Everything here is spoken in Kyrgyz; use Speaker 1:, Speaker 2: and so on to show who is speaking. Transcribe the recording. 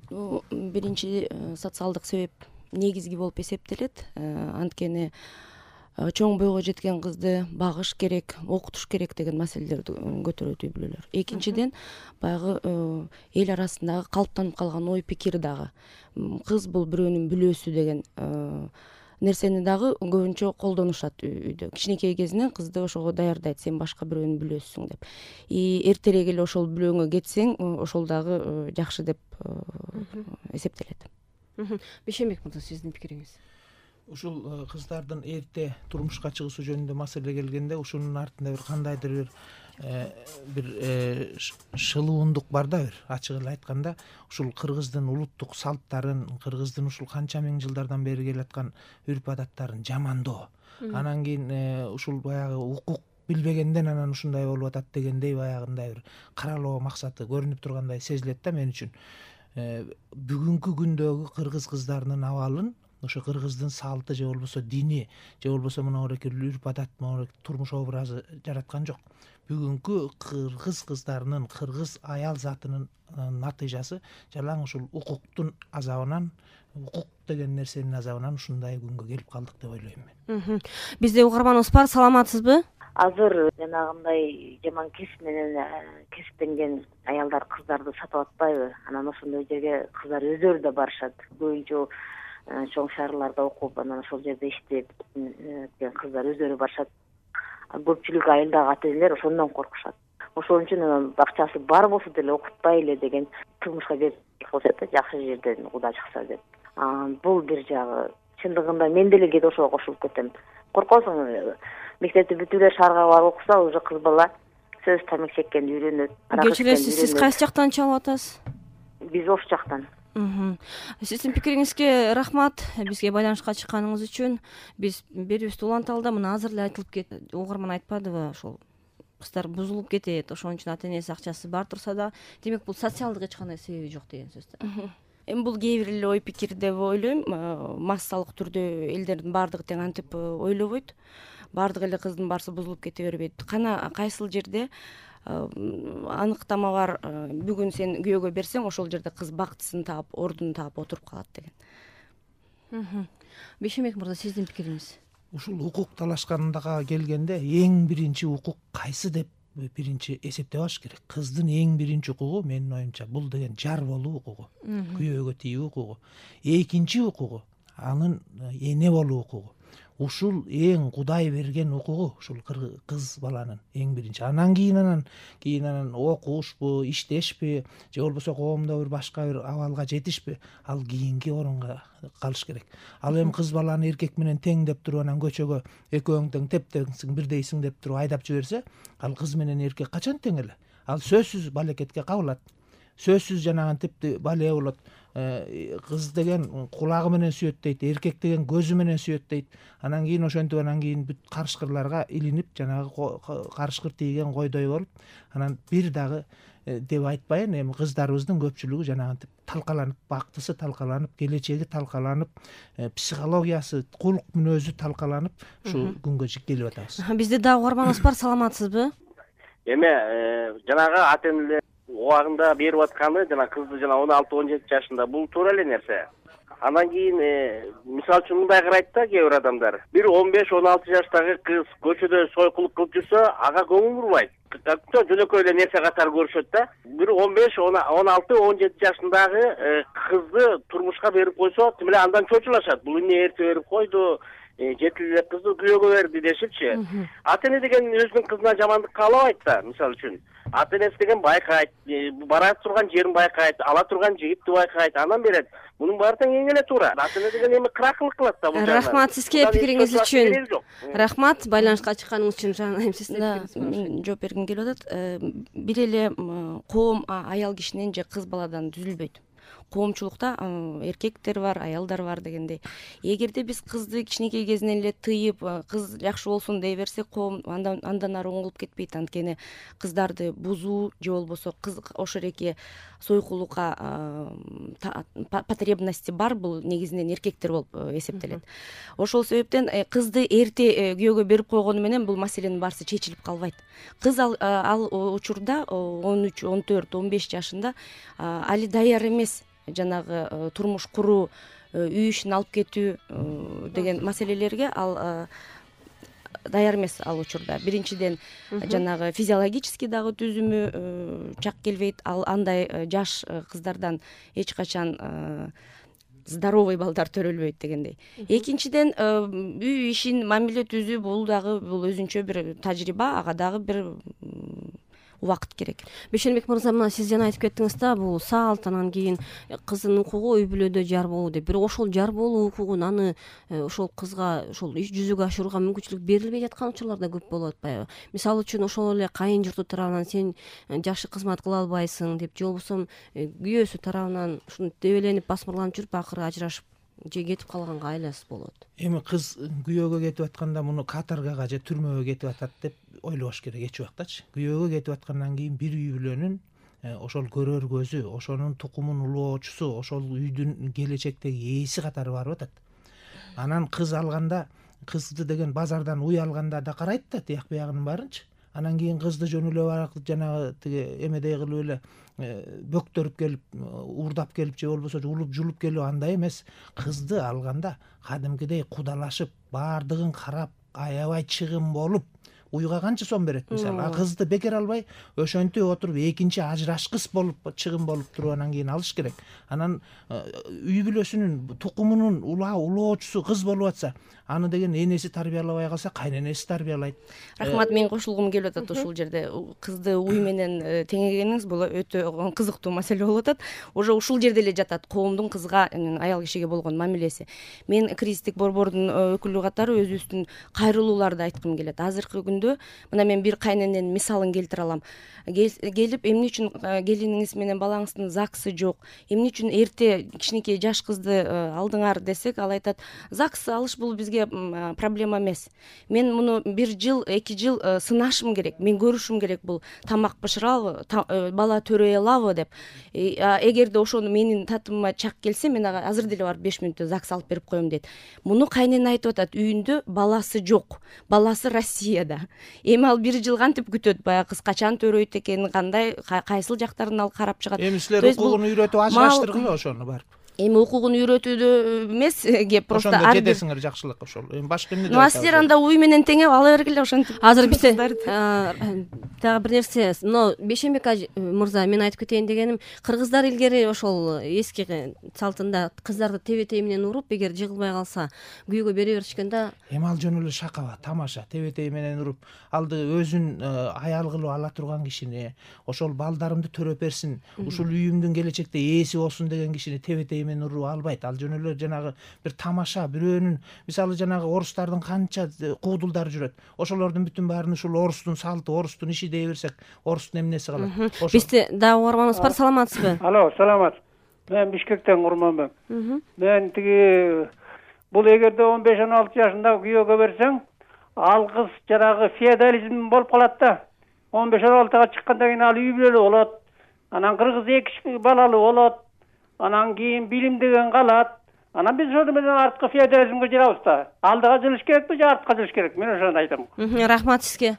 Speaker 1: биринчи социалдык себеп негизги болуп эсептелет. Анткени чоң бойго жеткен кызды багыш керек, окутуш керек деген маселелерди көтөрөт үй бүлөлөр. Экинчиден, баягы эл арасындагы калыптанып калган ой пикир дагы. Кыз бул бирөөнүн бүлөөсү деген нерсени дагы көбүнчө колдонушат үйдө. Кичинекей кезинен кызды ошого даярдайт, сен башка бирөөнүн бүлөөсүсүң деп. Эртерээк эле ошол бүлөөңө кетсең, ошол дагы жакшы деп эсептелет.
Speaker 2: Бейшенбек мырза, сиздин пикириңиз?
Speaker 3: Ушул кыздардын эрте турмушка чыгуусу жөнүндө маселе келгенде, ушунун артында бир кандайдыр бир шылуундук бар да, бир ачык эле айтканда, ушул кыргыздын улуттук салттарын, кыргыздын ушул канча миң жылдардан бери келаткан үрп адаттарын жамандоо. Анан кийин ушул баягы укук билбегенден анан ушундай болуп атат дегендей баягындай бир каралоо максаты көрүнүп тургандай сезилет да мен үчүн. Бүгүнкү күндөгү кыргыз кыздарынын абалын ошо кыргыздын салты же болбосо дини же болбосо моногорек үрп адат, моногорек турмуш образы жараткан жок. Бүгүнкү кыргыз кыздарынын, кыргыз аял затынын натыйжасы жалаң ушул укуктун азабынан, укук деген нерсенин азабынан ушундай күнгө келип калдык деп ойлойм мен.
Speaker 2: Бизде угарманыбыз бар, саламатсызбы?
Speaker 4: Азыр жанагындай жаман кесип менен кесиптенген аялдар кыздарды сатып атпайбы? Анан ошондой жерге кыздар өздөрү да барышат. Көбүнчө чоң шаарларда окуп, анан ошол жерде иштеп кыздар өздөрү барышат. Көпчүлүк айылдагы ата-энелер ошондон коркушат. Ошол үчүн анан акчасы бар болсо деле окутпайлы деген турмушка берип коюшат да, жакшы жерден куда чыкса деп. Бул бир жагы. Чындыгында мен деле кээде ошого кошулуп кетем. Коркосуң, мектепти бүтүп эле шаарга барып окуса, уже кыз бала сөз тамак чеккенди үйрөнөт.
Speaker 2: Кечиресиз, сиз кайсы жактан чалып атасыз?
Speaker 4: Биз Ош жактан.
Speaker 2: Сиздин пикириңизге рахмат. Бизге байланышка чыкканыңыз үчүн. Биз берүүбүздү уланталы да, мына азыр эле айтылып кетти. Угарман айтпадыбы, ошол кыздар бузулуп кетет, ошон үчүн ата-энеси акчасы бар турса да, демек бул социалдык эч кандай себеби жок деген сөз да.
Speaker 1: Эми бул кээ бир эле ой пикир деп ойлойм. Массалык түрдө элдердин баардыгы тең антип ойлобойт. Баардык эле кыздын баарысы бузулуп кете бербейт. Кана кайсыл жерде аныктама бар, бүгүн сен күйөөгө берсең, ошол жерде кыз бактысын таап, ордун таап отуруп калат деген.
Speaker 2: Бейшенбек мырза, сиздин пикириңиз?
Speaker 3: Ушул укук талашкандага келгенде эң биринчи укук кайсы деп биринчи эсептеп алыш керек. Кыздын эң биринчи укугу менин оюмча бул деген жар болуу укугу, күйөөгө тийүү укугу. Экинчи укугу анын эне болуу укугу. Ушул эң Кудай берген укугу, ушул кыз баланын эң биринчи. Анан кийин окушпу, иштешпи, же болбосо коомдо бир башка бир абалга жетишпи, ал кийинки орунга калыш керек. Ал эми кыз баланы эркек менен тең деп туруп анан көчөгө экөөң тең тептеңсиң, бирдейсиң деп туруп айдап жиберсе, ал кыз менен эркек качан тең эле? Ал сөзсүз балекетке кабылат. Сөзсүз жанагынтип бале болот. Кыз деген кулагы менен сүйөт дейт, эркек деген көзү менен сүйөт дейт. Анан кийин ошентип анан кийин бүт карышкырларга илинип, жанагы карышкыр тийген койдой болуп, анан бир дагы деп айтпайын, эми кыздарыбыздын көпчүлүгү жанагынтип талкаланып, бактысы талкаланып, келечеги талкаланып, психологиясы, кулк мүнөзү талкаланып, ушу күнгө келип атабыз.
Speaker 2: Бизде дагы угарманыбыз бар, саламатсызбы?
Speaker 5: Эме жанагы ата-энелер убагында берип атканы, жана кызды жана 16-17 жашында, бул туура эле нерсе. Анан кийин мисалы үчүн мындай карайт да кээ бир адамдар. Бир 15-16 жаштагы кыз көчөдө сойкулук кылып жүрсө, ага көңүл бурбайт. Жөнөкөй эле нерсе катары көрүшөт да. Бир 15-16-17 жашындагы кызды турмушка берип койсо, тим эле андан чочулашат. Бул эмне эрте берип койду, жетил эле кызды күйөөгө берди дешипчи. Ата-эне деген өзүнүн кызына жамандык каалабайт да, мисалы үчүн. Ата-энеси деген байкайт, бара турган жерин байкайт, ала турган жигитти байкайт, анан берет. Мунун баары тең эң эле туура. Ата-эне деген эми кыракылык кылат да бул жагда.
Speaker 2: Рахмат сизге пикириңиз үчүн. Рахмат байланышка чыкканыңыз үчүн. Жана
Speaker 1: сиздин жооп бергим келип атат. Бир эле коом аял кишинен же кыз баладан түзүлбөйт. Коомчулукта эркектер бар, аялдар бар дегендей. Эгерде биз кызды кичинекей кезинен эле тыйып, кыз жакшы болсун дей берсек, коом андан ары оңолуп кетпейт. Анткени кыздарды бузуу же болбосо кыз ошереки сойкулукка потребности бар, бул негизинен эркектер болуп эсептелет. Ошол себептен кызды эрте күйөөгө берип койгону менен бул маселенин баарысы чечилип калбайт. Кыз ал учурда 13, 14, 15 жашында али даяр эмес жанагы турмуш куруу, үй ишин алып кетүү деген маселелерге ал даяр эмес ал учурда. Биринчиден жанагы физиологический дагы түзүмү чак келбейт. Ал андай жаш кыздардан эч качан здоровый балдар төрөлбөйт дегендей. Экинчиден үй ишин мамиле түзүү бул өзүнчө бир тажрыйба, ага дагы бир убакыт керек.
Speaker 2: Бейшенбек мырза, мына сиз жана айтып кеттиңиз да, бул салт, анан кийин кыздын укугу үй бүлөдө жар болуу деп. Бирок ошол жар болуу укугун аны ошол кызга ошол жүзүгө ашырууга мүмкүнчүлүк берилбей жаткан учурлар да көп болуп атпайбы? Мисалы үчүн ошол эле кайын журту тарабынан сен жакшы кызмат кыла албайсың деп, же болбосо күйөөсү тарабынан ушуну дебеленип басмырланып жүрүп акыры ажырашып же кетип калганга айласы болот.
Speaker 3: Эми кыз күйөөгө кетип атканда муну каторгага же түрмөгө кетип атат деп ойлобош керек эч убактачы. Күйөөгө кетип аткандан кийин бир үй бүлөнүн ошол көрөр көзү, ошонун тукумун улоочусу, ошол үйдүн келечектеги ээси катары барып атат. Анан кыз алганда, кызды деген базардан уй алганда да карайт да тияк биягынын баарынчы. Анан кийин кызды жөн эле барак жанагы тиги эмедей кылып эле бөктөрүп келип, уурдап келип же болбосо улуп жулуп келип андай эмес. Кызды алганда кадимкидей кудалашып, баардыгын карап, аябай чыгым болуп, уйга канча сом берет мисалы. А кызды бекер албай, ошентип отуруп экинчи ажырашкыс болуп, чыгым болуп туруп анан кийин алыш керек. Анан үй бүлөсүнүн тукумунун улоочусу кыз болуп атса, аны деген энеси тарбиялабай калса, кайненеси тарбиялайт.
Speaker 1: Рахмат, мен кошулгум келип атат ушул жерде. Кызды уй менен теңегениңиз бул өтө кызыктуу маселе болуп атат. Уже ушул жерде эле жатат коомдун кызга, аял кишиге болгон мамилеси. Мен кризистик борбордун өкүлү катары өзүбүздүн кайрылууларды айткым келет. Азыркы күндө мына мен бир кайнененин мисалын келтире алам. Келип, эмне үчүн келиниңиз менен балаңыздын ЗАГСы жок, эмне үчүн эрте кичинекей жаш кызды алдыңар десек, ал айтат, ЗАГС алыш бул бизге проблема эмес. Мен муну 1 жыл, 2 жыл сынашым керек, мен көрүшүм керек, бул тамак бышырабы, бала төрөй алабы деп. Эгерде ошону менин татымыма чак келсе, мен ага азыр деле барып 5 мүнөттө ЗАГС алып берип коем дейт. Муну кайнене айтып атат, үйүндө баласы жок, баласы Россияда. Эми ал 1 жыл кантип күтөт, баягы кыз качан төрөйт экен, кандай, кайсыл жактарын ал карап чыгат.
Speaker 3: Эми силер укугун үйрөтүп ажыраштыргыла ошону барып.
Speaker 1: Эми укугун үйрөтүүдө эмес, кеп просто
Speaker 3: ошондо жетесиңер жакшылыкка ошол. Эми башка эмне деп
Speaker 1: айтасыңар? Силер анда уй менен теңеп ала бергиле ошентип.
Speaker 2: Азыр бизде дагы бир нерсе, но Бейшенбек мырза, мен айтып кетейин дегеним, кыргыздар илгери ошол эски салтында кыздарды тебетей менен уруп, эгер жыгылбай калса күйөөгө бере беришкен да.
Speaker 3: Эми ал жөн эле шакаба, тамаша, тебетей менен уруп, алды өзүн аял кылып ала турган кишини, ошол балдарымды төрөп берсин, ушул үйүмдүн келечекте ээси болсун деген кишини тебетей менен уруп албайт. Ал жөн эле жанагы бир тамаша, бирөөнүн, мисалы жанагы орустардын канча куудулдары жүрөт. Ошолордун бүтүн баарын ушул орустун салты, орустун иши дей берсек, орустун эмнеси калат?
Speaker 2: Бизде дагы угарманыбыз бар, саламатсызбы?
Speaker 6: Алло, саламат. Мен Бишкектен Курманбек. Мен тиги бул эгерде 15-16 жашында күйөөгө берсең, ал кыз жанагы феодализм болуп калат да. 15-16га чыккандан кийин ал үй бүлөлүү болот. Анан кыргыз 2 балалуу болот. Анан кийин билим деген калат. Анан биз ошону менен арткы феодализмге жүрөбүз да. Алдыга жүрүш керекпи же артка жүрүш керек? Мен ошону айтам.
Speaker 2: Рахмат сизге.